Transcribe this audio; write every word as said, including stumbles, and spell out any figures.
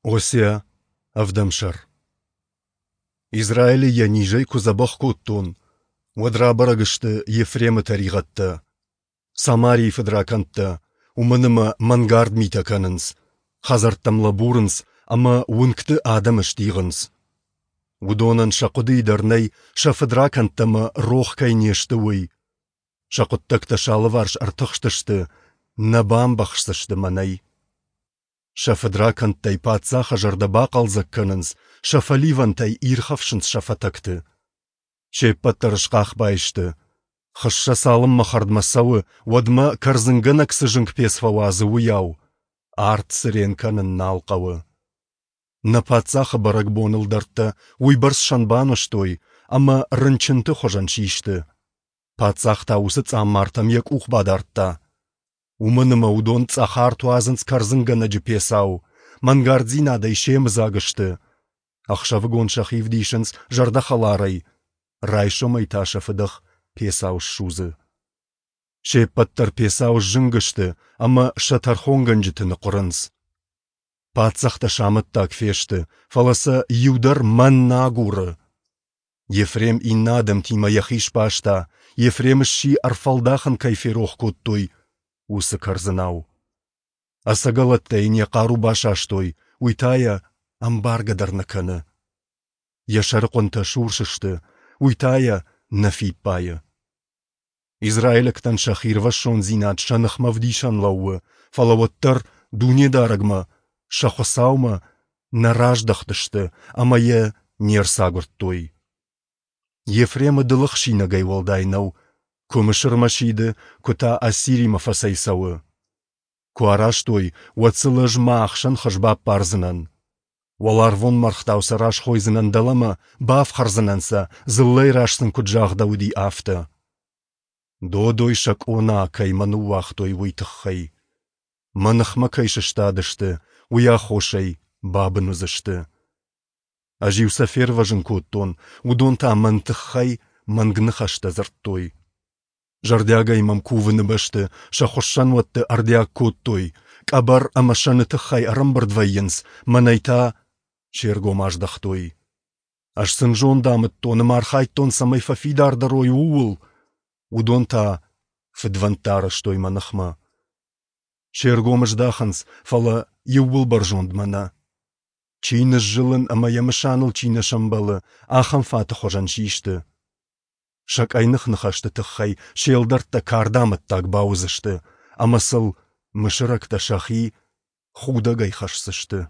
Осиа, ӕвдӕм сӕр. Израилы йӕ низӕй куы дзӕбӕх кодтон, уӕд рабӕрӕг сты Ефремы тӕригъӕдтӕ, Самарийы фыдракӕндтӕ, уымӕн ӕмӕ мӕнгард митӕ кӕнынц, хӕдзӕрттӕм лӕбурынц ӕмӕ уынгты адӕмы стигъынц. Уыдонӕн сӕ хъуыдыйы дӕр нӕй, сӕ фыдракӕндтӕ мӕ рох кӕй не сты, уый. Сӕ хъуыддӕгтӕ сӕ алыварс ӕртыхстысты, нӕ бамбӕхсдзысты мӕнӕй. Сӕ фыдракӕндтӕй паддзахы зӕрдӕ бахъӕлдзӕг кӕнынц, сӕ фӕливӕнтӕй ирхӕфсынц сӕ фӕтӕгты. Се ппӕт дӕр схъахбай сты. Хыссӕ цалынмӕ хӕрдмӕ цӕуы, уӕдмӕ кӕрдзынгӕнӕг цы зынг пец фӕуадзы, уыйау арт цырен кӕнын нал хъӕуы. Нӕ паддзахы бӕрӕгбоны ӕлдӕрттӕ уыйбӕрц сӕн банызтой, ӕмӕ рынчынты хуызӕн систы. Паддзах та уыцы цъаммартӕм йӕ къух бадардта. Уымӕн ӕмӕ уыдон цъӕх арт уадзынц кӕрдзынгӕнӕджы пецау, мӕнгарддзинадӕй семыдзаг сты. Ӕхсӕвыгон сӕхи вдисынц зӕрдӕхӕларӕй, райсомӕй та сӕ фыдӕх пецау ссудзы. Се ппӕт дӕр пецау сзынг сты ӕмӕ сӕ тӕрхонгӕнджыты ныхъуырынц. Паддзӕхтӕ сӕ амӕттаг фесты, фӕлӕ сӕ иу дӕр мӕн нӕ агуры. Ефрем иннӕ адӕмтимӕ йӕхи сбаста, Ефрем сси, ӕрфӕлдахын кӕй ферох кодтой, уыцы кӕрдзынау. Ӕцӕгӕлӕттӕ йын йӕ хъару басастой, уый та йӕ ӕмбаргӕ дӕр нӕ кӕны. Йӕ сӕрыхъуынтӕ сурс сты, уый та йӕ нӕ фиппайы. Израилӕгтӕн сӕ хирвӕссондзинад сӕ ныхмӕ ӕвдисӕн лӕууы, фӕлӕ уӕддӕр Дунедарӕгмӕ, сӕ Хуыцаумӕ, нӕ раздӕхтысты ӕмӕ йӕ не рцагуырдтой. Ефремы дылых синагӕй уӕлдай нӕу, куы Мысырмӕ сиды, куы та Ассиримӕ фӕцӕйцӕуы. Куы арӕзтой, уӕд сыл ӕз мӕ ахсӕн хыз баппардзынӕн. Уӕларвон мӕргътау сӕ расхойдзынӕн дӕлӕмӕ, бафхӕрдзынӕн сӕ, дзыллӕйы раз сын куыд загъдӕуыди, афтӕ. Додой сӕ къона, кӕй мӕ ныууагътой, уый тыххӕй. Мӕ ныхмӕ кӕй сыстадысты, уый аххосӕй бабын уыдзысты. Ӕз-иу сӕ фервӕзын кодтон, уыдон та мӕн тыххӕй мӕнг ныхӕстӕ дзырдтой. Зӕрдиагӕй мӕм кувыны бӕсты сӕ хуыссӕнуӕтты ӕрдиаг кодтой, къӕбӕр ӕмӕ сӕны тыххӕй ӕрӕмбырд вӕййынц, мӕнӕй та се ргом аздӕхтой. Ӕз сын зонд амыдтон ӕмӕ архайдтон, цӕмӕй фӕфидардӕр уой, ууыл. Уыдон та фыдвӕндтӕ арӕзтой мӕ ныхмӕ. Се ргом здахынц, фӕлӕ иууылбӕрзондмӕ нӕ. Чи ныззылын ӕмӕ йӕ мысаныл чи нӕ сӕмбӕлы, ахӕм фаты хуызӕн систы. Сӕ къӕйных ныхӕсты тыххӕй се лдӕрттӕ кардамӕттаг бауыдзысты, ӕмӕ сыл мысырӕгтӕ сӕхи худӕгӕй хӕсдзысты.